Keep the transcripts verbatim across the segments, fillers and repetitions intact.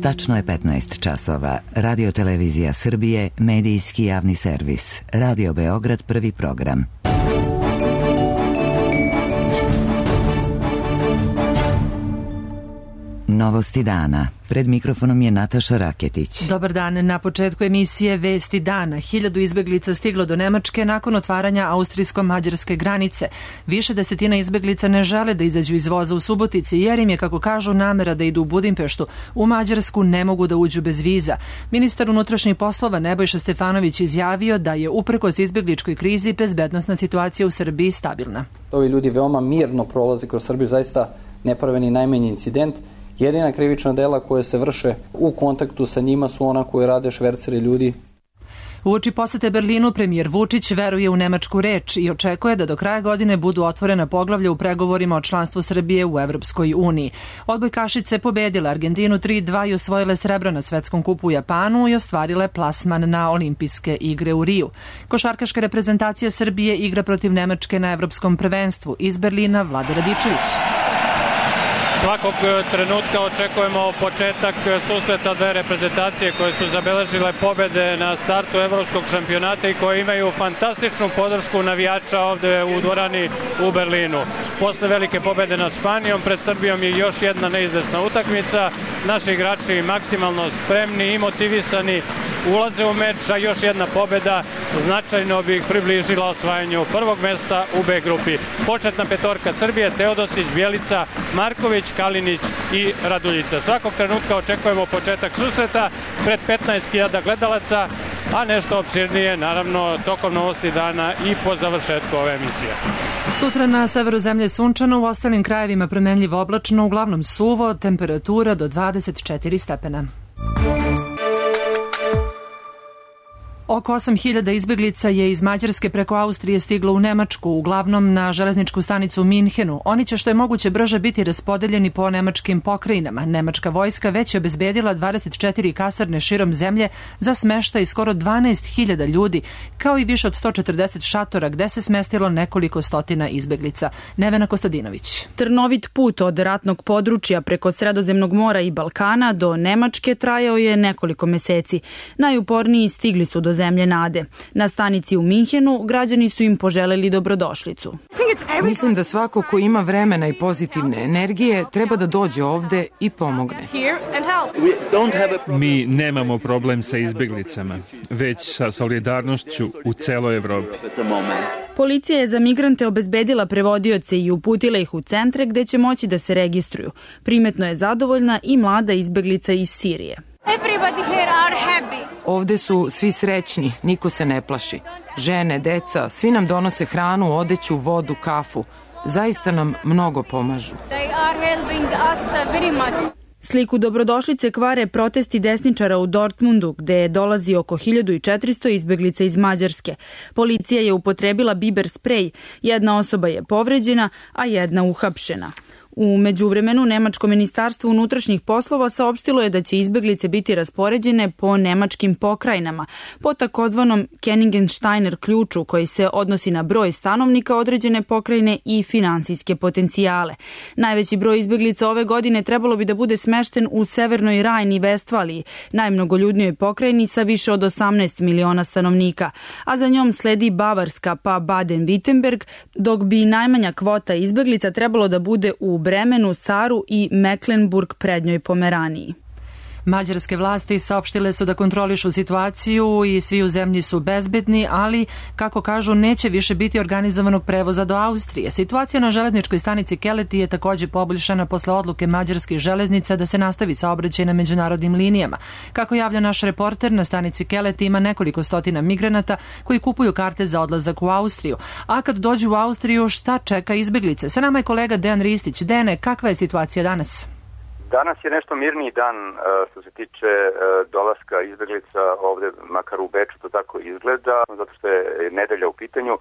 Tačno je petnaest časova. Radio Televizija Srbije, medijski javni servis. Radio Beograd, prvi program. Novosti dana. Pred mikrofonom je Nataša Raketić. Dobar dan. Na početku emisije Vesti dana. Hiljadu izbeglica stiglo do Nemačke nakon otvaranja austrijsko-mađarske granice. Više desetina izbeglica ne žele da izađu iz voza u Subotici, jer im je, kako kažu, namera da idu u Budimpeštu. U Mađarsku ne mogu da uđu bez viza. Ministar unutrašnjih poslova Nebojša Stefanović izjavio da je uprkos izbegličkoj krizi bezbednosna situacija u Srbiji stabilna. Ovi ljudi veoma mirno prolaze kroz Srbiju, zaista ne prave ni najmanji incident. Jedina krivična dela koje se vrše u kontaktu sa njima su ona koje rade šverceri ljudi. Uoči posete Berlinu, premijer Vučić veruje u nemačku reč i očekuje da do kraja godine budu otvorena poglavlja u pregovorima o članstvu Srbije u Evropskoj uniji. Odbojkašice pobedile Argentinu tri dva i osvojile srebro na svetskom kupu u Japanu i ostvarile plasman na olimpijske igre u Riju. Košarkaška reprezentacija Srbije igra protiv Nemačke na Evropskom prvenstvu. Iz Berlina, Vlada Radičević. Svakog trenutka očekujemo početak susreta dve reprezentacije koje su zabeležile pobede na startu evropskog šampionata i koje imaju fantastičnu podršku navijača ovde u dvorani u Berlinu. Posle velike pobede nad Španijom, pred Srbijom je još jedna neizvesna utakmica. Naši igrači maksimalno spremni i motivisani ulaze u meč, a još jedna pobeda značajno bi ih približila osvajanju prvog mesta u B grupi. Početna petorka Srbije: Teodosić, Bjelica, Marković, Kalinić i Raduljica. Svakog trenutka očekujemo početak susreta pred petnaest hiljada gledalaca, a nešto opširnije naravno tokom Novosti dana i po završetku ove emisije. Sutra na severu zemlje sunčano, u ostalim krajevima promenljivo oblačno, uglavnom suvo, temperatura do dvadeset četiri stepena. Oko osam hiljada izbeglica je iz Mađarske preko Austrije stiglo u Nemačku, uglavnom na železničku stanicu u Minhenu. Oni će što je moguće brže biti raspodeljeni po nemačkim pokrajinama. Nemačka vojska već je obezbedila dvadeset četiri kasarne širom zemlje za smeštaj skoro dvanaest hiljada ljudi, kao i više od sto četrdeset šatora gde se smestilo nekoliko stotina izbeglica. Nevena Kostadinović. Trnovit put od ratnog područja preko Sredozemnog mora i Balkana do Nemačke trajao je nekoliko meseci. Najuporniji stigli su do zemlje nade. Na stanici u Minhenu građani su im poželeli dobrodošlicu. Mislim da svako ko ima vremena i pozitivne energije treba da dođe ovde i pomogne. Mi nemamo problem sa izbeglicama, već sa solidarnošću u celoj Evropi. Policija je za migrante obezbedila prevodioce i uputila ih u centre gde će moći da se registruju. Primetno je zadovoljna i mlada izbeglica iz Sirije. Ovde su svi srećni, niko se ne plaši. Žene, deca, svi nam donose hranu, odeću, vodu, kafu. Zaista nam mnogo pomažu. Sliku dobrodošlice kvare protesti desničara u Dortmundu, gde je dolazi oko hiljadu četiristo izbeglica iz Mađarske. Policija je upotrebila biber sprej, jedna osoba je povređena, a jedna uhapšena. U međuvremenu, Nemačko ministarstvo unutrašnjih poslova saopštilo je da će izbeglice biti raspoređene po nemačkim pokrajinama, po takozvanom Kenningensteiner ključu koji se odnosi na broj stanovnika određene pokrajine i finansijske potencijale. Najveći broj izbeglica ove godine trebalo bi da bude smešten u Severnoj Rajni i Vestfaliji, najmnogoljudnijoj pokrajini sa više od osamnaest miliona stanovnika, a za njom sledi Bavarska pa Baden-Württemberg, dok bi najmanja kvota izbeglica trebalo da bude u Bremenu, Saru i Mecklenburg prednjoj Pomeraniji. Mađarske vlasti saopštile su da kontrolišu situaciju i svi u zemlji su bezbedni, ali, kako kažu, neće više biti organizovanog prevoza do Austrije. Situacija na železničkoj stanici Keleti je takođe poboljšana posle odluke mađarskih železnica da se nastavi saobraćaj na međunarodnim linijama. Kako javlja naš reporter, na stanici Keleti ima nekoliko stotina migranata koji kupuju karte za odlazak u Austriju. A kad dođu u Austriju, šta čeka izbeglice? Sa nama je kolega Dejan Ristić. Dejane, kakva je situacija danas? Danas je nešto mirniji dan što se tiče dolaska izbeglica ovde, makar u Beču to tako izgleda, zato što je nedelja u pitanju.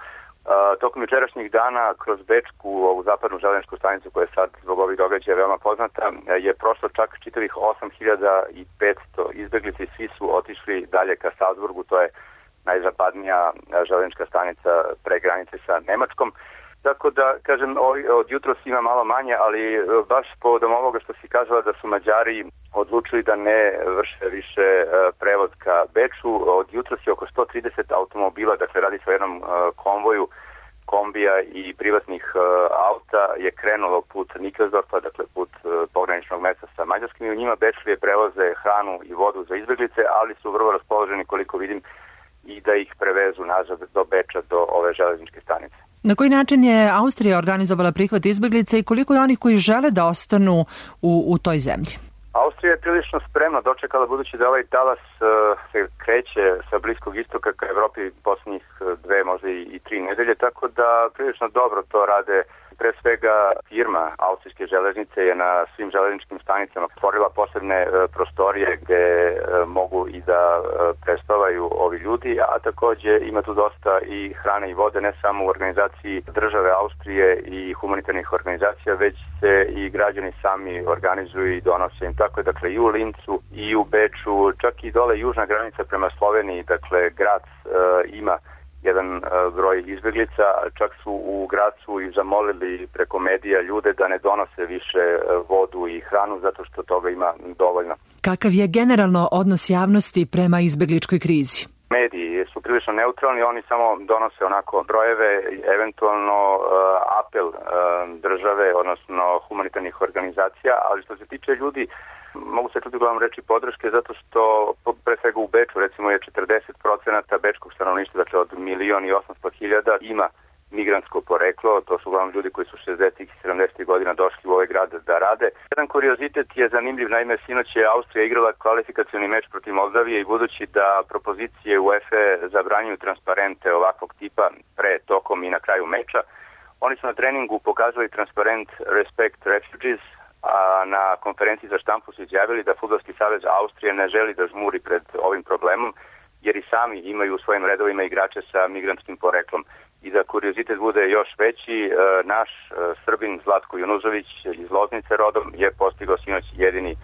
Tokom jučerašnjih dana kroz Bečku, ovu zapadnu železničku stanicu koja je sad zbog ovih događaja veoma poznata, je prošlo čak čitavih osam hiljada petsto izbeglica i svi su otišli dalje ka Salzburgu, to je najzapadnija železnička stanica pre granice sa Nemačkom. Tako da, kažem, od jutros ima malo manje, ali baš povodom ovoga što si kazala da su Mađari odlučili da ne vrše više prevoz ka Beču, od jutros je oko sto trideset automobila, dakle radi se o jednom konvoju kombija i privatnih auta, je krenulo put Nikelsdorfa, dakle put pograničnog mesta sa Mađarskim, i u njima Bečlije prevoze hranu i vodu za izbeglice, ali su vrlo raspoloženi, koliko vidim, i da ih prevezu nazad do Beča, do ove železničke stanice. Na koji način je Austrija organizovala prihvat izbeglica i koliko je onih koji žele da ostanu u, u toj zemlji? Austrija je prilično spremno dočekala, budući da ovaj talas uh, se kreće sa Bliskog istoka ka Evropi posljednjih dve, možda i, i tri nedelje, tako da prilično dobro to rade. Pre svega firma Austrijske železnice je na svim železničkim stanicama stvorila posebne uh, prostorije gde uh, mogu i da uh, prespavaju ovi ljudi, a takođe ima tu dosta i hrane i vode, ne samo u organizaciji države Austrije i humanitarnih organizacija, već se i građani sami organizuju i donose im. Tako je, dakle, i u Lincu i u Beču, čak i dole južna granica prema Sloveniji, dakle, Grac uh, ima jedan uh, broj izbeglica, čak su u Gracu i zamolili preko medija ljude da ne donose više uh, vodu i hranu, zato što toga ima dovoljno. Kakav je generalno odnos javnosti prema izbegličkoj krizi? Mediji su prilično neutralni, oni samo donose onako brojeve, eventualno uh, apel uh, države, odnosno humanitarnih organizacija, ali što se tiče ljudi, mogu se čuti uglavnom reći podrške, zato što pre svega u Beču recimo je četrdeset procenata bečkog stanovništva, dakle od milion i osamsto hiljada, ima migrantsko poreklo, to su uglavnom ljudi koji su šezdesetih i sedamdesetih godina došli u ovaj grad da rade. Jedan kuriozitet je zanimljiv, naime sinoć je Austrija igrala kvalifikacioni meč protiv Moldavije i budući da propozicije UEFA zabranjuju transparente ovakvog tipa pre, tokom i na kraju meča, oni su na treningu pokazali transparent Respect Refugees, a na konferenciji za štampu su izjavili da Fudbalski savez Austrije ne želi da žmuri pred ovim problemom, jer i sami imaju u svojim redovima igrače sa migrantskim poreklom. I da kuriozitet bude još veći, naš Srbin Zlatko Junuzović iz Loznice rodom je postigao sinoć jedini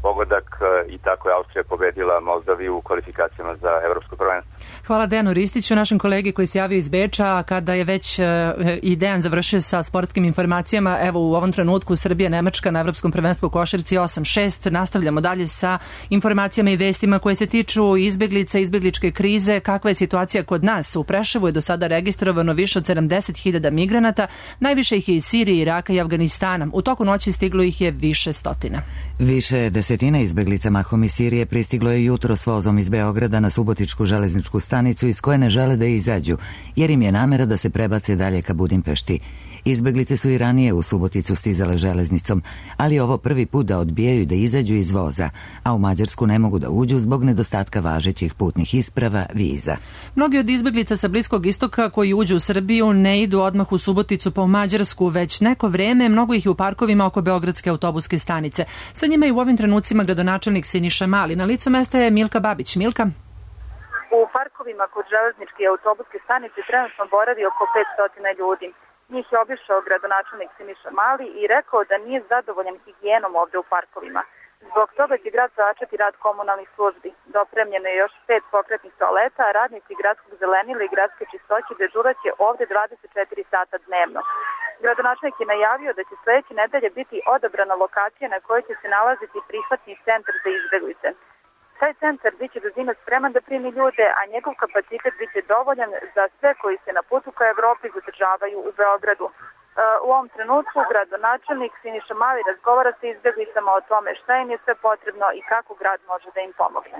pogodak i tako je Austrija pobedila Moldaviju u kvalifikacijama za evropsko prvenstvo. Hvala Dejanu Ristiću, našem kolegi koji se javio iz Beča, kada je već i Dejan završio sa sportskim informacijama. Evo u ovom trenutku Srbija Nemačka na evropskom prvenstvu u košarci osam šest. Nastavljamo dalje sa informacijama i vestima koje se tiču izbeglica, izbegličke krize. Kakva je situacija kod nas? U Preševu je do sada registrovano više od sedamdeset hiljada migranata, najviše ih je iz Sirije, Iraka i Afganistana. U toku noći stiglo ih je više stotina. Više desetina izbeglica mahom iz Sirije pristiglo je jutro s vozom iz Beograda na Subotičku železničku stanicu iz koje ne žele da izađu, jer im je namera da se prebace dalje ka Budimpešti. Izbeglice su i ranije u Suboticu stizale železnicom, ali ovo prvi put da odbijaju da izađu iz voza, a u Mađarsku ne mogu da uđu zbog nedostatka važećih putnih isprava, viza. Mnogi od izbeglica sa Bliskog istoka koji uđu u Srbiju ne idu odmah u Suboticu pa u Mađarsku, već neko vreme, mnogo ih je u parkovima oko Beogradske autobuske stanice. Sa njima je u ovim trenucima gradonačelnik Siniša Mali. Na licu mesta je Milka Babić. Milka? U parkovima kod železničke autobuske stanice trenutno boravi oko petsto ljudi. Njih je obišao gradonačelnik Siniša Mali i rekao da nije zadovoljan higijenom ovde u parkovima. Zbog toga će grad začeti rad komunalnih službi. Dopremljeno je još pet pokretnih toaleta, a radnici gradskog zelenila i gradske čistoće dežuraće ovde dvadeset četiri sata dnevno. Gradonačelnik je najavio da će sledeće nedelje biti odabrana lokacija na kojoj će se nalaziti prihvatni centar za izbeglice. Taj centar biće do zime spreman da primi ljude, a njegov kapacitet biće dovoljan za sve koji se na putu ka Evropi zadržavaju u Beogradu. U ovom trenutku gradonačelnik Siniša Mali razgovara sa izbeglicama o tome šta im je sve potrebno i kako grad može da im pomogne.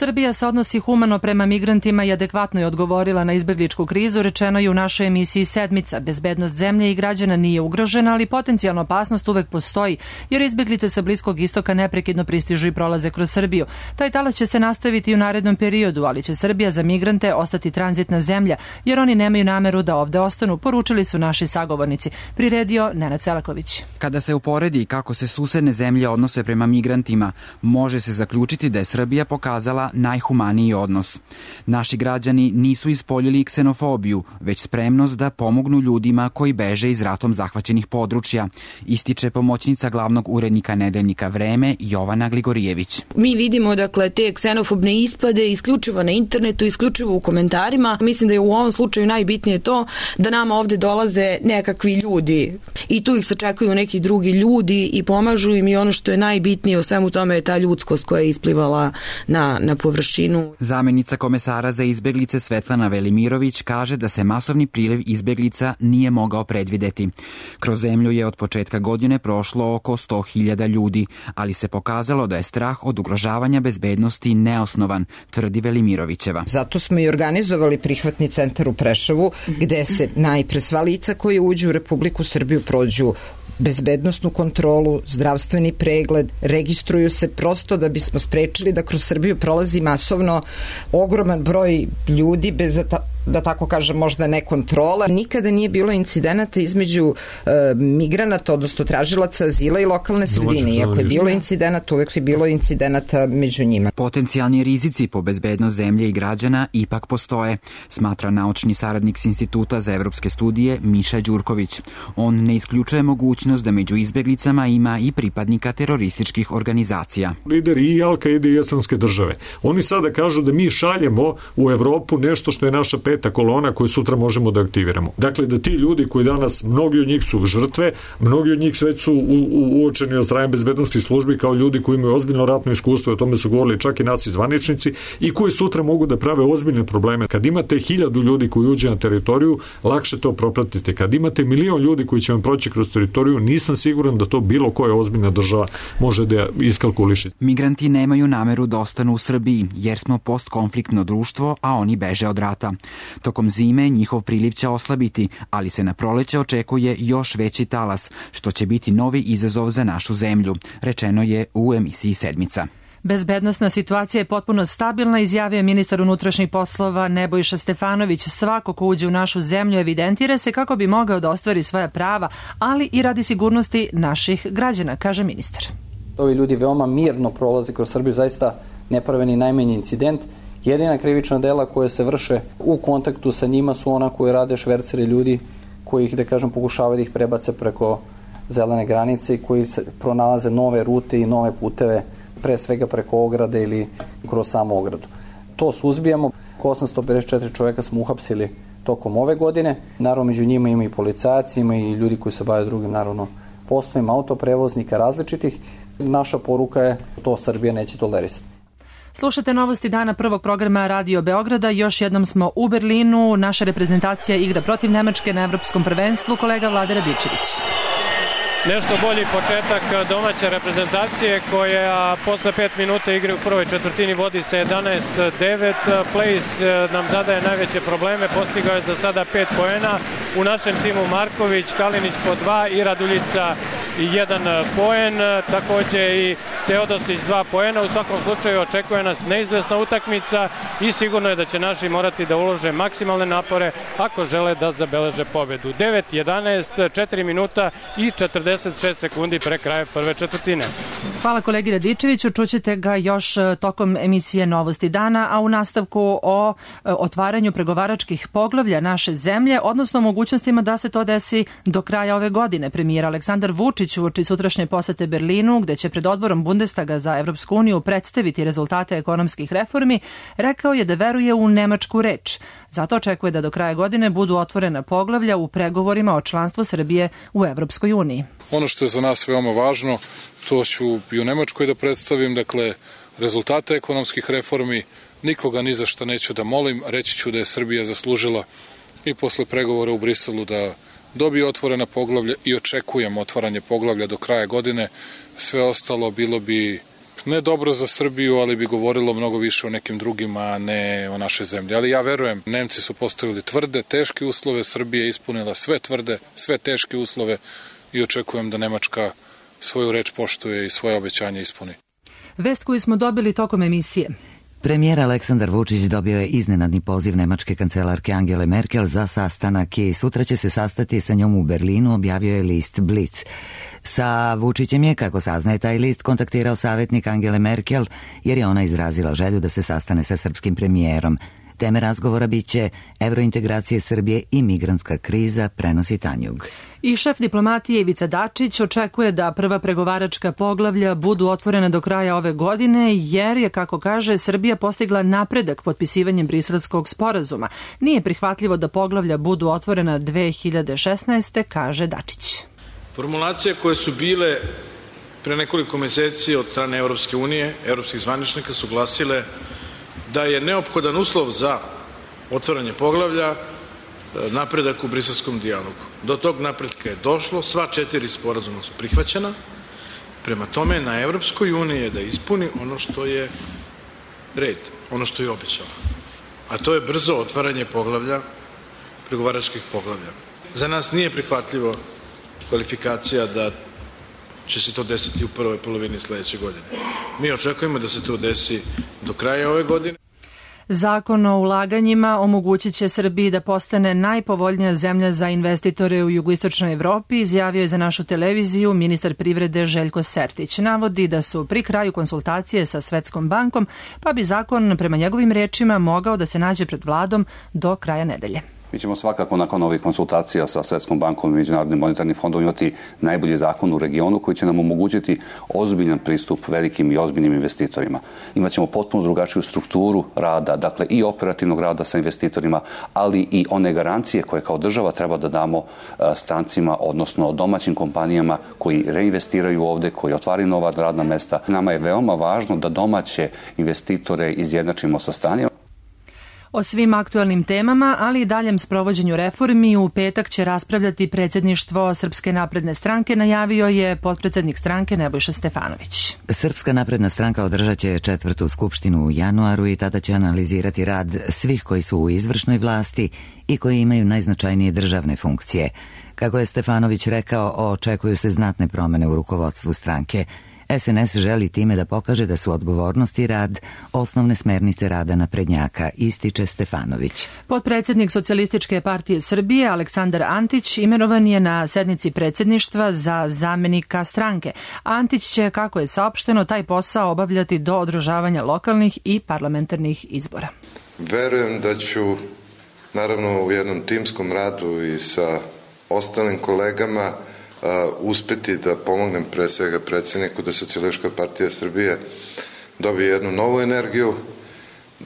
Srbija se odnosi humano prema migrantima i adekvatno je odgovorila na izbegličku krizu, rečeno je u našoj emisiji Sedmica. Bezbednost zemlje i građana nije ugrožena, ali potencijalna opasnost uvek postoji, jer izbeglice sa Bliskog istoka neprekidno pristižu i prolaze kroz Srbiju. Taj talas će se nastaviti u narednom periodu, ali će Srbija za migrante ostati tranzitna zemlja, jer oni nemaju nameru da ovde ostanu, poručili su naši sagovornici. Priredio Nenad Selaković. Kada se uporedi kako se susedne zemlje odnose prema migrantima, može se zaključiti da je Srbija pokazala za najhumaniji odnos. Naši građani nisu ispoljili ksenofobiju, već spremnost da pomognu ljudima koji beže iz ratom zahvaćenih područja, ističe pomoćnica glavnog urednika nedeljnika Vreme Jovana Gligorijević. Mi vidimo dakle te ksenofobne ispade isključivo na internetu, isključivo u komentarima. Mislim da je u ovom slučaju najbitnije to da nama ovde dolaze nekakvi ljudi i tu ih sačekuju neki drugi ljudi i pomažu im, i ono što je najbitnije u svemu tome je ta ljudskost koja je isplivala na, na površinu. Zamenica komesara za izbeglice Svetlana Velimirović kaže da se masovni priliv izbeglica nije mogao predvideti. Kroz zemlju je od početka godine prošlo oko sto hiljada ljudi, ali se pokazalo da je strah od ugrožavanja bezbednosti neosnovan, tvrdi Velimirovićeva. Zato smo i organizovali prihvatni centar u Preševu, gde se najpre sva lica koje uđu u Republiku Srbiju prođu bezbednosnu kontrolu, zdravstveni pregled, registruju se prosto da bismo sprečili da kroz Srbiju prolazi masovno ogroman broj ljudi bez da tako kažem, možda ne kontrola. Nikada nije bilo incidenata između e, migranata, odnosno tražilaca azila i lokalne sredine. Iako je bilo incidenata, uvek je bilo incidenata među njima. Potencijalni rizici po bezbednost zemlje i građana ipak postoje, smatra naučni saradnik s Instituta za evropske studije Miša Đurković. On ne isključuje mogućnost da među izbeglicama ima i pripadnika terorističkih organizacija. Lideri i Al-Kaide i Islamske države. Oni sada kažu da mi šaljemo u Evropu nešto što je naša peta kolona koju sutra možemo da aktiviramo. Dakle, da ti ljudi koji danas, mnogi od njih su žrtve, mnogi od njih već su u, u, uočeni od strane bezbednosti službi kao ljudi koji imaju ozbiljno ratno iskustvo, o tome su govorili čak i naci zvaničnici, i koji sutra mogu da prave ozbiljne probleme. Kad imate hiljadu ljudi koji uđe na teritoriju, lakše to propratite. Kad imate milion ljudi koji će vam proći kroz teritoriju, nisam siguran da to bilo koja ozbiljna država može da iskalkuliše. Migranti nemaju nameru da ostanu u Srbiji, jer smo postkonfliktno društvo, a oni beže od rata. Tokom zime njihov priliv će oslabiti, ali se na proleće očekuje još veći talas, što će biti novi izazov za našu zemlju, rečeno je u emisiji Sedmica. Bezbednosna situacija je potpuno stabilna, izjavio je ministar unutrašnjih poslova Nebojša Stefanović. Svako ko uđe u našu zemlju evidentira se kako bi mogao da ostvari svoja prava, ali i radi sigurnosti naših građana, kaže ministar. Ovi ljudi veoma mirno prolaze kroz Srbiju, zaista ne prave ni najmanji incident. Jedina krivična dela koje se vrše u kontaktu sa njima su ona koje rade šverceri ljudi, koji ih, da kažem, pokušavaju da ih prebace preko zelene granice i koji se pronalaze nove rute i nove puteve, pre svega preko ograde ili kroz samu ogradu. To suzbijamo. osamsto pedeset četiri čoveka smo uhapsili tokom ove godine. Naravno, među njima ima i policajaci, ima i ljudi koji se bave drugim, naravno, poslovima autoprevoznika različitih. Naša poruka je to Srbija neće tolerisati. Slušate novosti dana prvog programa Radio Beograda. Još jednom smo u Berlinu. Naša reprezentacija igra protiv Nemačke na evropskom prvenstvu. Kolega Vlade Radičević. Nešto bolji početak domaće reprezentacije koja posle pet minuta igre u prvoj četvrtini vodi sa jedanaest devet. Place nam zadaje najveće probleme, postigao je za sada pet poena. U našem timu Marković, Kalinić po dva i Raduljica jedan poen, takođe i Teodosić dva poena. U svakom slučaju očekuje nas neizvesna utakmica i sigurno je da će naši morati da ulože maksimalne napore ako žele da zabeleže pobedu. devet jedanaest, četiri minuta i četrdeset šest sekundi pre kraja prve četvrtine. Hvala kolegi Radičeviću, čućete ga još tokom emisije Novosti dana, a u nastavku o otvaranju pregovaračkih poglavlja naše zemlje, odnosno mogućnostima da se to desi do kraja ove godine. Premijer Aleksandar Vučić uoči sutrašnje posete Berlinu, gde će pred odborom Bundestaga za Evropsku uniju predstaviti rezultate ekonomskih reformi, rekao je da veruje u nemačku reč. Zato očekuje da do kraja godine budu otvorena poglavlja u pregovorima o članstvu Srbije u Evropskoj uniji. Ono što je za nas veoma važno, to ću i u Nemačkoj da predstavim, dakle, rezultate ekonomskih reformi. Nikoga ni za šta neću da molim, reći ću da je Srbija zaslužila i posle pregovora u Briselu da dobije otvorena poglavlja i očekujem otvaranje poglavlja do kraja godine. Sve ostalo bilo bi ne dobro za Srbiju, ali bi govorilo mnogo više o nekim drugima, a ne o našoj zemlji. Ali ja verujem, Nemci su postavili tvrde, teške uslove, Srbija je ispunila sve tvrde, sve teške uslove i očekujem da Nemačka svoju reč poštuje i svoje obećanje ispuni. Vest koju smo dobili tokom emisije. Premijer Aleksandar Vučić dobio je iznenadni poziv nemačke kancelarke Angele Merkel za sastanak i sutra će se sastati sa njom u Berlinu, objavio je list Blitz. Sa Vučićem je, kako saznaje taj list, kontaktirao savjetnik Angele Merkel, jer je ona izrazila želju da se sastane sa srpskim premijerom. Teme razgovora biće evrointegracije Srbije i migrantska kriza, prenosi Tanjug. I šef diplomatije Ivica Dačić očekuje da prva pregovaračka poglavlja budu otvorena do kraja ove godine, jer je, kako kaže, Srbija postigla napredak potpisivanjem Briselskog sporazuma. Nije prihvatljivo da poglavlja budu otvorena dve hiljade šesnaeste. kaže Dačić. Formulacije koje su bile pre nekoliko meseci od strane Evropske unije, evropskih zvaničnika su glasile da je neophodan uslov za otvaranje poglavlja napredak u briselskom dijalogu. Do tog napredka je došlo, sva četiri sporazuma su prihvaćena, prema tome na Evropskoj uniji je da ispuni ono što je red, ono što je obećala. A to je brzo otvaranje poglavlja, pregovaračkih poglavlja. Za nas nije prihvatljivo kvalifikacija da će se to desiti u prvoj polovini sledeće godine. Mi očekujemo da se to desi do kraja ove godine. Zakon o ulaganjima omogućit će Srbiji da postane najpovoljnija zemlja za investitore u jugoistočnoj Evropi, izjavio je za našu televiziju ministar privrede Željko Sertić. Navodi da su pri kraju konsultacije sa Svetskom bankom, pa bi zakon prema njegovim rečima mogao da se nađe pred vladom do kraja nedelje. Mi ćemo svakako nakon ovih konsultacija sa Svetskom bankom i Međunarodnim monetarnim fondom imati najbolji zakon u regionu koji će nam omogućiti ozbiljan pristup velikim i ozbiljnim investitorima. Imaćemo potpuno drugačiju strukturu rada, dakle i operativnog rada sa investitorima, ali i one garancije koje kao država treba da damo strancima, odnosno domaćim kompanijama koji reinvestiraju ovde, koji otvaraju nova radna mesta. Nama je veoma važno da domaće investitore izjednačimo sa stranim. O svim aktualnim temama, ali i daljem sprovođenju reformi u petak će raspravljati predsjedništvo Srpske napredne stranke, najavio je potpredsednik stranke Nebojša Stefanović. Srpska napredna stranka održat će četvrtu skupštinu u januaru i tada će analizirati rad svih koji su u izvršnoj vlasti i koji imaju najznačajnije državne funkcije. Kako je Stefanović rekao, očekuju se znatne promene u rukovodstvu stranke. S N S želi time da pokaže da su odgovornost i rad osnovne smernice rada naprednjaka, ističe Stefanović. Potpredsjednik Socijalističke partije Srbije Aleksandar Antić imenovan je na sednici predsjedništva za zamenika stranke. Antić će, kako je saopšteno, taj posao obavljati do održavanja lokalnih i parlamentarnih izbora. Verujem da ću, naravno u jednom timskom radu i sa ostalim kolegama, Uh, uspeti da pomognem pre svega predsjedniku da Socijalistička partija Srbije dobije jednu novu energiju,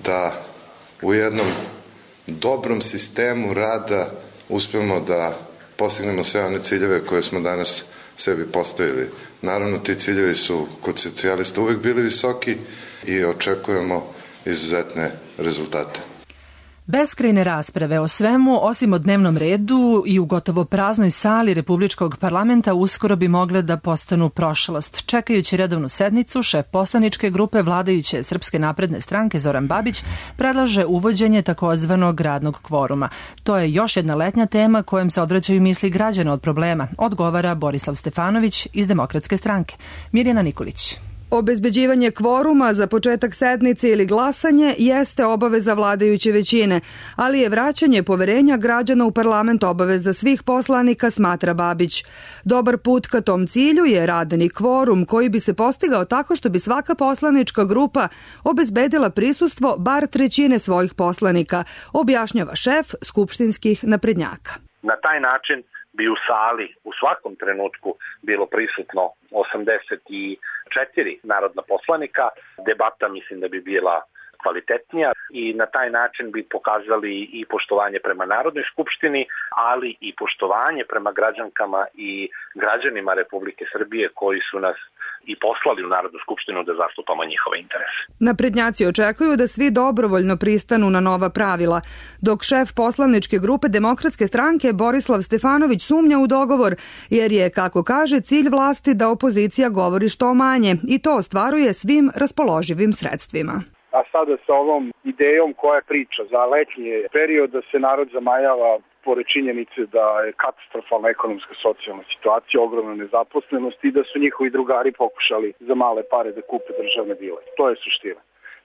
da u jednom dobrom sistemu rada uspemo da postignemo sve one ciljeve koje smo danas sebi postavili. Naravno, ti ciljevi su kod socijalista uvek bili visoki i očekujemo izuzetne rezultate. Beskrajne rasprave o svemu, osim o dnevnom redu i u gotovo praznoj sali Republičkog parlamenta uskoro bi mogle da postanu prošlost. Čekajući redovnu sednicu, šef poslaničke grupe vladajuće Srpske napredne stranke Zoran Babić predlaže uvođenje takozvanog radnog kvoruma. To je još jedna letnja tema kojom se odvraćaju misli građana od problema, odgovara Borislav Stefanović iz Demokratske stranke. Mirjana Nikolić. Obezbeđivanje kvoruma za početak sednice ili glasanje jeste obaveza vladajuće većine, ali je vraćanje poverenja građana u parlament obaveza svih poslanika, smatra Babić. Dobar put ka tom cilju je radni kvorum koji bi se postigao tako što bi svaka poslanička grupa obezbedila prisustvo bar trećine svojih poslanika, objašnjava šef skupštinskih naprednjaka. Na taj način bi u sali u svakom trenutku bilo prisutno osamdeset četiri narodna poslanika. Debata mislim da bi bila kvalitetnija i na taj način bi pokazali i poštovanje prema Narodnoj skupštini, ali i poštovanje prema građankama i građanima Republike Srbije koji su nas i poslali u Narodnu skupštinu da zastupamo njihove interese. Naprednjaci očekuju da svi dobrovoljno pristanu na nova pravila, dok šef poslaničke grupe Demokratske stranke Borislav Stefanović sumnja u dogovor, jer je, kako kaže, cilj vlasti da opozicija govori što manje i to ostvaruje svim raspoloživim sredstvima. A sada sa ovom idejom koja priča za letnji period da se narod zamajava pored činjenice da je katastrofalna ekonomska socijalna situacija, ogromna nezaposlenost i da su njihovi drugari pokušali za male pare da kupe državne vile. To je suština.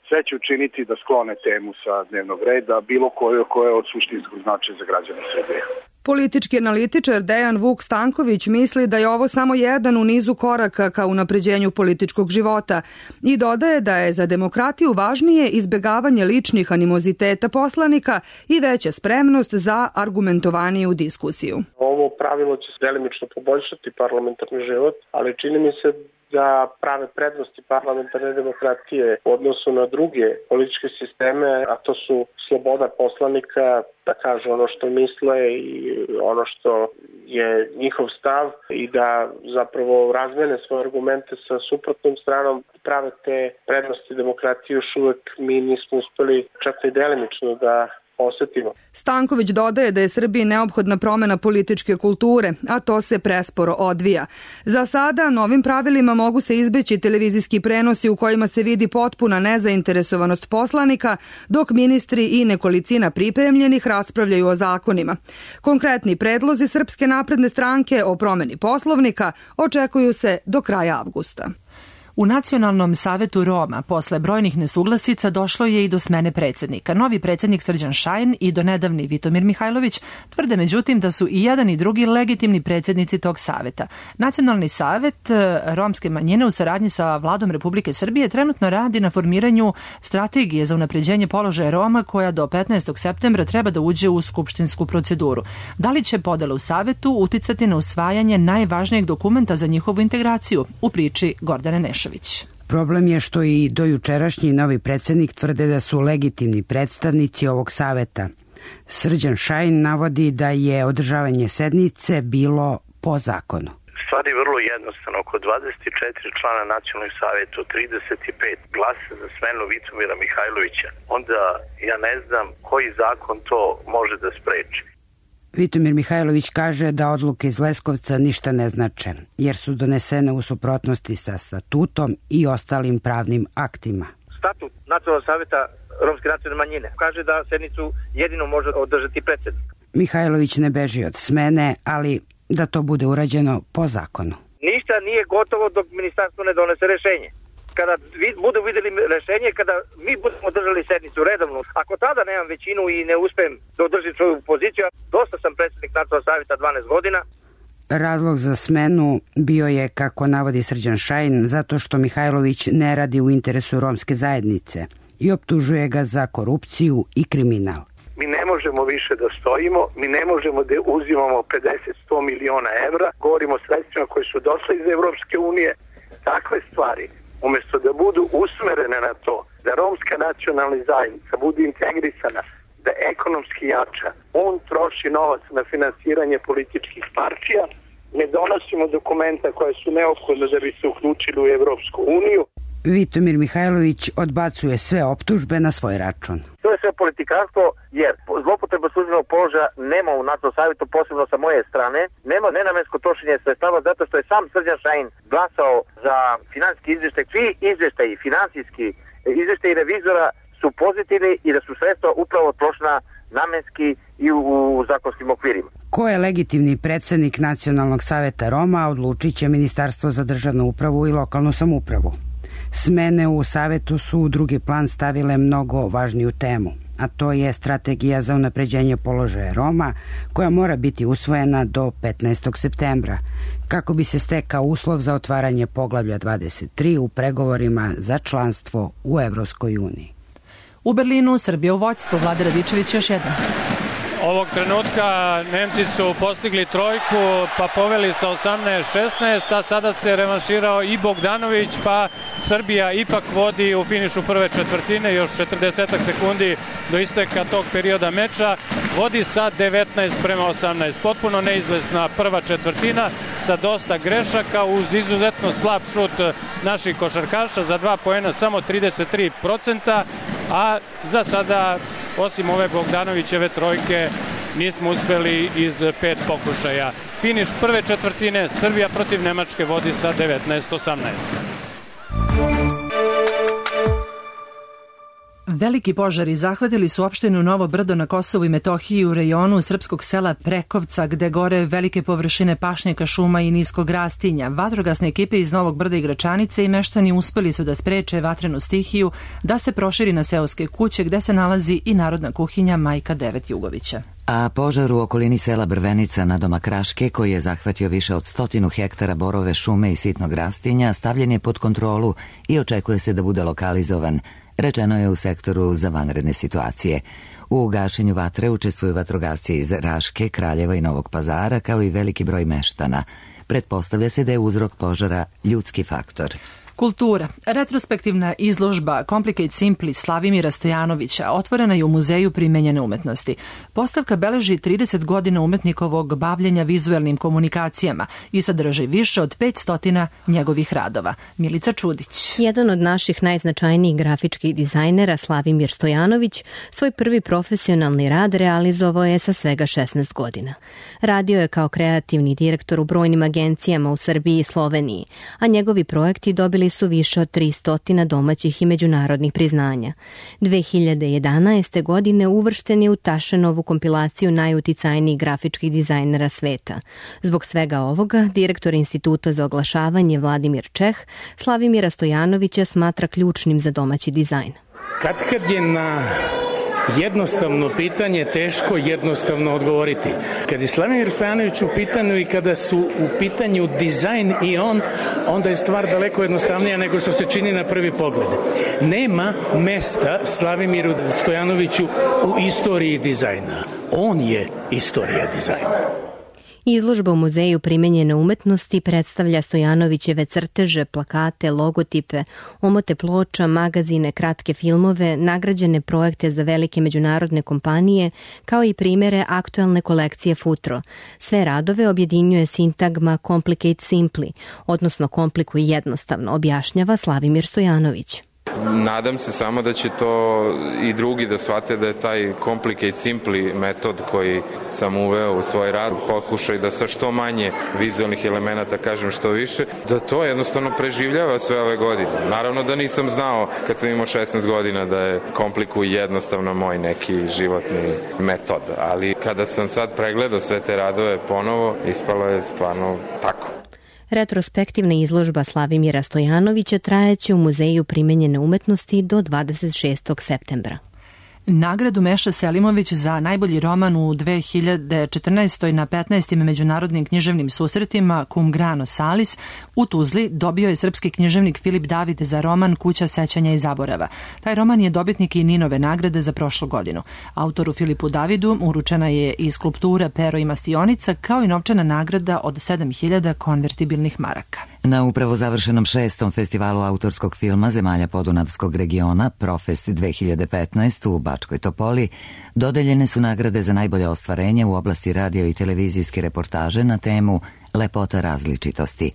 Sve će učiniti da sklone temu sa dnevnog reda, bilo koju koja je od suštinskog značaja za građane Srbije. Politički analitičar Dejan Vuk Stanković misli da je ovo samo jedan u nizu koraka ka unapređenju političkog života i dodaje da je za demokratiju važnije izbegavanje ličnih animoziteta poslanika i veća spremnost za argumentovaniju diskusiju. Ovo pravilo će delimično poboljšati parlamentarni život, ali čini mi se da prave prednosti parlamentarne demokratije u odnosu na druge političke sisteme, a to su sloboda poslanika da kažu ono što misle i ono što je njihov stav i da zapravo razmene svoje argumente sa suprotnom stranom, prave te prednosti demokratije još uvek mi nismo uspeli čak i delimično da osetimo. Stanković dodaje da je Srbiji neophodna promena političke kulture, a to se presporo odvija. Za sada novim pravilima mogu se izbeći televizijski prenosi u kojima se vidi potpuna nezainteresovanost poslanika, dok ministri i nekolicina pripremljenih raspravljaju o zakonima. Konkretni predlozi Srpske napredne stranke o promeni Poslovnika očekuju se do kraja avgusta. U Nacionalnom savetu Roma posle brojnih nesuglasica došlo je i do smene predsjednika. Novi predsjednik Srđan Šajn i donedavni Vitomir Mihajlović tvrde međutim da su i jedan i drugi legitimni predsjednici tog saveta. Nacionalni savet romske manjine u saradnji sa Vladom Republike Srbije trenutno radi na formiranju strategije za unapređenje položaja Roma koja do petnaestog septembra treba da uđe u skupštinsku proceduru. Da li će podela u savetu uticati na usvajanje najvažnijeg dokumenta za njihovu integraciju? U priči Gordane Nešović. Problem je što i dojučerašnji novi predsjednik tvrde da su legitimni predstavnici ovog saveta. Srđan Šajn navodi da je održavanje sednice bilo po zakonu. Stvar je vrlo jednostavno. Oko dvadeset četiri člana nacionalnog savjeta, trideset pet glasa za smenu Vitomira Mihajlovića. Onda ja ne znam koji zakon to može da spreči. Vitomir Mihajlović kaže da odluke iz Leskovca ništa ne znače, jer su donesene u suprotnosti sa statutom i ostalim pravnim aktima. Statut Nacionalnog savjeta romske nacionalne manjine kaže da sednicu jedino može održati predsjednik. Mihajlović ne beži od smene, ali da to bude urađeno po zakonu. Ništa nije gotovo dok ministarstvo ne donese rešenje. Kada budu videli rešenje, kada mi budemo držali sednicu redovnu, ako tada nemam većinu i ne uspem da održim svoju poziciju, dosta sam predsjednik Nacionalnog savjeta dvanaest godina. Razlog za smenu bio je, kako navodi Srđan Šajn, zato što Mihajlović ne radi u interesu romske zajednice i optužuje ga za korupciju i kriminal. Mi ne možemo više da stojimo, mi ne možemo da uzimamo pedeset do sto miliona evra, govorimo o sredstvima koje su došle iz Evropske unije, takve stvari. Umjesto da budu usmerene na to, da romska nacionalna zajednica bude integrisana, da ekonomski jača, on troši novac na finansiranje političkih partija, ne donosimo dokumenta koje su neophodne da bi se uključili u Evropsku uniju. Vitomir Mihajlović odbacuje sve optužbe na svoj račun. To je sve politikanstvo, jer zloupotreba službenog položaja nema u Nacionalnom savjetu, posebno sa moje strane, nema nenamensko trošenje sredstava zato što je sam Srđan Šajn glasao za finansijski izvještaj. Svi izvještaji, finansijski izvještaji revizora su pozitivni i da su sredstva upravo trošena namenski i u, u zakonskim okvirima. Ko je legitimni predsjednik Nacionalnog savjeta Roma, odlučit će Ministarstvo za državnu upravu i lokalnu samoupravu. Smene u savetu su u drugi plan stavile mnogo važniju temu, a to je strategija za unapređenje položaja Roma koja mora biti usvojena do petnaestog septembra kako bi se stekao uslov za otvaranje poglavlja dvadeset tri u pregovorima za članstvo u Evropskoj uniji. U Berlinu Srbija u vođstvu, Vlade Radičević još jednom. Ovog trenutka Nemci su postigli trojku, pa poveli sa osamnaest šesnaest, a sada se revanširao i Bogdanović, pa Srbija ipak vodi u finišu prve četvrtine, još četrdeset sekundi do isteka tog perioda meča, vodi sa devetnaest prema osamnaest. Potpuno neizvesna prva četvrtina sa dosta grešaka uz izuzetno slab šut naših košarkaša, za dva poena samo trideset tri procenta, a za sada osim ove Bogdanovićeve trojke nismo uspeli iz pet pokušaja. Finiš prve četvrtine, Srbija protiv Nemačke vodi sa devetnaest osamnaest. Veliki požari zahvatili su opštinu Novo Brdo na Kosovu i Metohiji u rejonu srpskog sela Prekovca, gde gore velike površine pašnjaka, šuma i niskog rastinja. Vatrogasne ekipe iz Novog Brda i Gračanice i meštani uspeli su da spreče vatrenu stihiju da se proširi na seoske kuće gde se nalazi i narodna kuhinja Majka Devet Jugovića. A požar u okolini sela Brvenica na domak Raške, koji je zahvatio više od stotinu hektara borove šume i sitnog rastinja, stavljen je pod kontrolu i očekuje se da bude lokalizovan, rečeno je u sektoru za vanredne situacije. U gašenju vatre učestvuju vatrogasci iz Raške, Kraljeva i Novog Pazara, kao i veliki broj meštana. Pretpostavlja se da je uzrok požara ljudski faktor. Kultura. Retrospektivna izložba Complicate Simply Slavimira Stojanovića otvorena je u Muzeju primenjene umetnosti. Postavka beleži trideset godina umetnikovog bavljenja vizuelnim komunikacijama i sadrži više od petsto njegovih radova. Milica Čudić. Jedan od naših najznačajnijih grafičkih dizajnera, Slavimir Stojanović, svoj prvi profesionalni rad realizovao je sa svega šesnaest godina. Radio je kao kreativni direktor u brojnim agencijama u Srbiji i Sloveniji, a njegovi projekti dobili su više od tristo domaćih i međunarodnih priznanja. dve hiljade jedanaeste. godine uvršten je u Tašenovu kompilaciju najuticajnijih grafičkih dizajnera sveta. Zbog svega ovoga, direktor Instituta za oglašavanje Vladimir Čeh Slavimira Stojanovića smatra ključnim za domaći dizajn. Kad kad je na jednostavno pitanje teško jednostavno odgovoriti. Kad je Slavimir Stojanović u pitanju i kada su u pitanju dizajn i on, onda je stvar daleko jednostavnija nego što se čini na prvi pogled. Nema mesta Slavimiru Stojanoviću u istoriji dizajna. On je istorija dizajna. Izložba u Muzeju primenjene umetnosti predstavlja Stojanovićeve crteže, plakate, logotipe, omote ploča, magazine, kratke filmove, nagrađene projekte za velike međunarodne kompanije, kao i primere aktuelne kolekcije Futro. Sve radove objedinjuje sintagma Complicate Simply, odnosno komplikuj jednostavno, objašnjava Slavimir Stojanović. Nadam se samo da će to i drugi da shvate da je taj Complicate Simply metod koji sam uveo u svoj rad, pokušaj da sa što manje vizualnih elemenata kažem što više, da to jednostavno preživljava sve ove godine. Naravno da nisam znao kad sam imao šesnaest godina da je komplikuj jednostavno moj neki životni metod, ali kada sam sad pregledao sve te radove ponovo, ispalo je stvarno tako. Retrospektivna izložba Slavimira Stojanovića trajeće u Muzeju primenjene umetnosti do dvadeset šestog septembra. Nagradu Meša Selimović za najbolji roman u dve hiljade četrnaestoj. na petnaestim međunarodnim književnim susretima Cum grano salis u Tuzli dobio je srpski književnik Filip David za roman Kuća sećanja i zaborava. Taj roman je dobitnik i Ninove nagrade za prošlu godinu. Autoru Filipu Davidu uručena je i skulptura Pero i Mastionica, kao i novčana nagrada od sedam hiljada konvertibilnih maraka. Na upravo završenom šestom festivalu autorskog filma zemalja Podunavskog regiona Profest dve hiljade petnaest. u Bačkoj Topoli dodeljene su nagrade za najbolje ostvarenje u oblasti radio i televizijske reportaže na temu Lepota različitosti.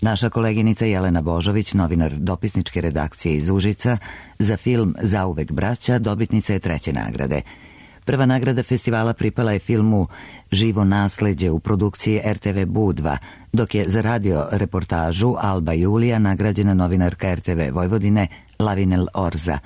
Naša koleginica Jelena Božović, novinar dopisničke redakcije iz Užica, za film Zauvek braća dobitnica je treće nagrade. Prva nagrada festivala pripala je filmu Živo nasleđe u produkciji er te ve Budva, dok je za radio reportažu Alba Julija nagrađena novinarka er te ve Vojvodine Lavinel Orza.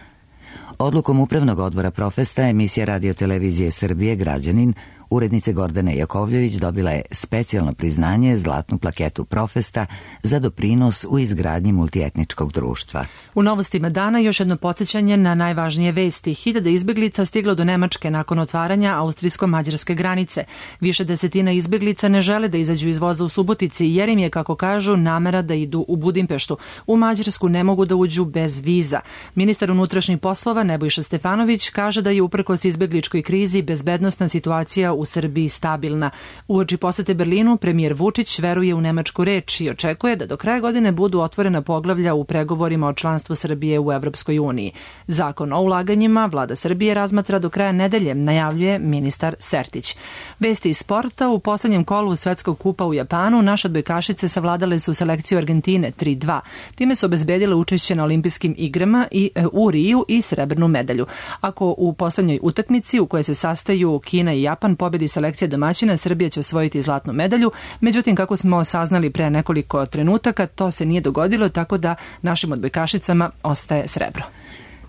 Odlukom Upravnog odbora Profesta emisija Radio-televizije Srbije Građanin urednice Gordane Jakovljević dobila je specijalno priznanje, zlatnu plaketu Profesta za doprinos u izgradnji multietničkog društva. U novostima dana još jedno podsjećanje na najvažnije vesti. Hiljade izbeglica stiglo do Nemačke nakon otvaranja austrijsko-mađarske granice. Više desetina izbeglica ne žele da izađu iz voza u Subotici jer im je, kako kažu, namera da idu u Budimpeštu. U Mađarsku ne mogu da uđu bez viza. Ministar unutrašnjih poslova Nebojša Stefanović kaže da je uprkos izbegličkoj krizi bezbednosna situacija u Srbiji stabilna. Uoči posete Berlinu, premijer Vučić veruje u nemačku reč i očekuje da do kraja godine budu otvorena poglavlja u pregovorima o članstvu Srbije u Evropskoj uniji. Zakon o ulaganjima vlada Srbije razmatra do kraja nedelje, najavljuje ministar Sertić. Vesti iz sporta: u poslednjem kolu Svetskog kupa u Japanu naše odbojkašice savladale su selekciju Argentine tri dva. Time su obezbedile učešće na olimpijskim igrama i u Riju i srebrnu medalju. Ako u poslednjoj utakmici u kojoj se sastaju Kina i Japan pobedi selekcija domaćina, Srbija će osvojiti zlatnu medalju. Međutim, kako smo saznali pre nekoliko trenutaka, to se nije dogodilo, tako da našim odbojkašicama ostaje srebro.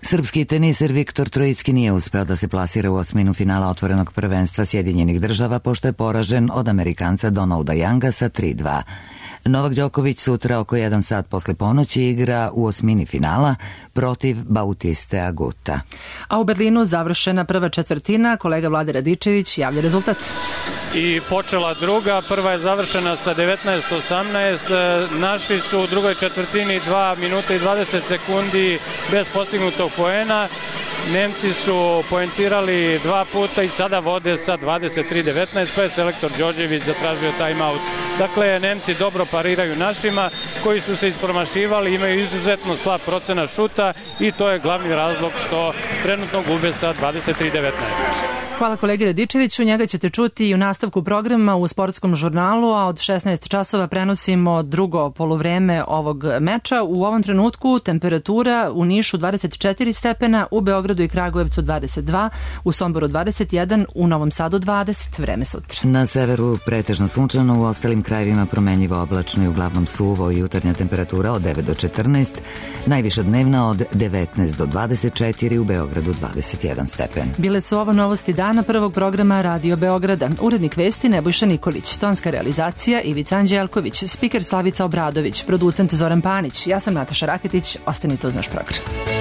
Srpski teniser Viktor Trojicki nije uspeo da se plasira u osminu finala otvorenog prvenstva Sjedinjenih država, pošto je poražen od Amerikanca Donalda Younga sa tri dva. Novak Đoković sutra oko jedan sat posle ponoći igra u osmini finala protiv Bautiste Aguta. A u Berlinu završena prva četvrtina, kolega Vlade Radičević javlja rezultat. I počela druga, prva je završena sa devetnaest osamnaest, naši su u drugoj četvrtini dva minuta i dvadeset sekundi bez postignutog poena, Nemci su poentirali dva puta i sada vode sa dvadeset tri devetnaest, pa je selektor Đorđević zatražio timeout. Dakle, Nemci dobro pariraju našima koji su se ispromašivali, imaju izuzetno slab procenat šuta i to je glavni razlog što trenutno gube sa dvadeset tri devetnaest. Hvala kolegi Radičeviću, njega ćete čuti i u nastavku programa u sportskom žurnalu, a od šesnaest časova prenosimo drugo poluvreme ovog meča. U ovom trenutku temperatura u Nišu dvadeset četiri stepena, u Beogradu i Kragujevcu dvadeset dva, u Somboru dvadeset jedan, u Novom Sadu dvadeset, vreme sutra. Na severu pretežno sunčano, u ostalim krajevima promenjivo oblačno i uglavnom suvo, jutarnja temperatura od devet do četrnaest, najviša dnevna od devetnaest do dvadeset četiri, u Beogradu dvadeset jedan stepen. Bile su ovo novosti dana prvog programa Radio Beograda. Urednik vesti Nebojša Nikolić, tonska realizacija Ivica Anđelković, spiker Slavica Obradović, producent Zoran Panić, ja sam Nataša Raketić, ostanite uz naš program.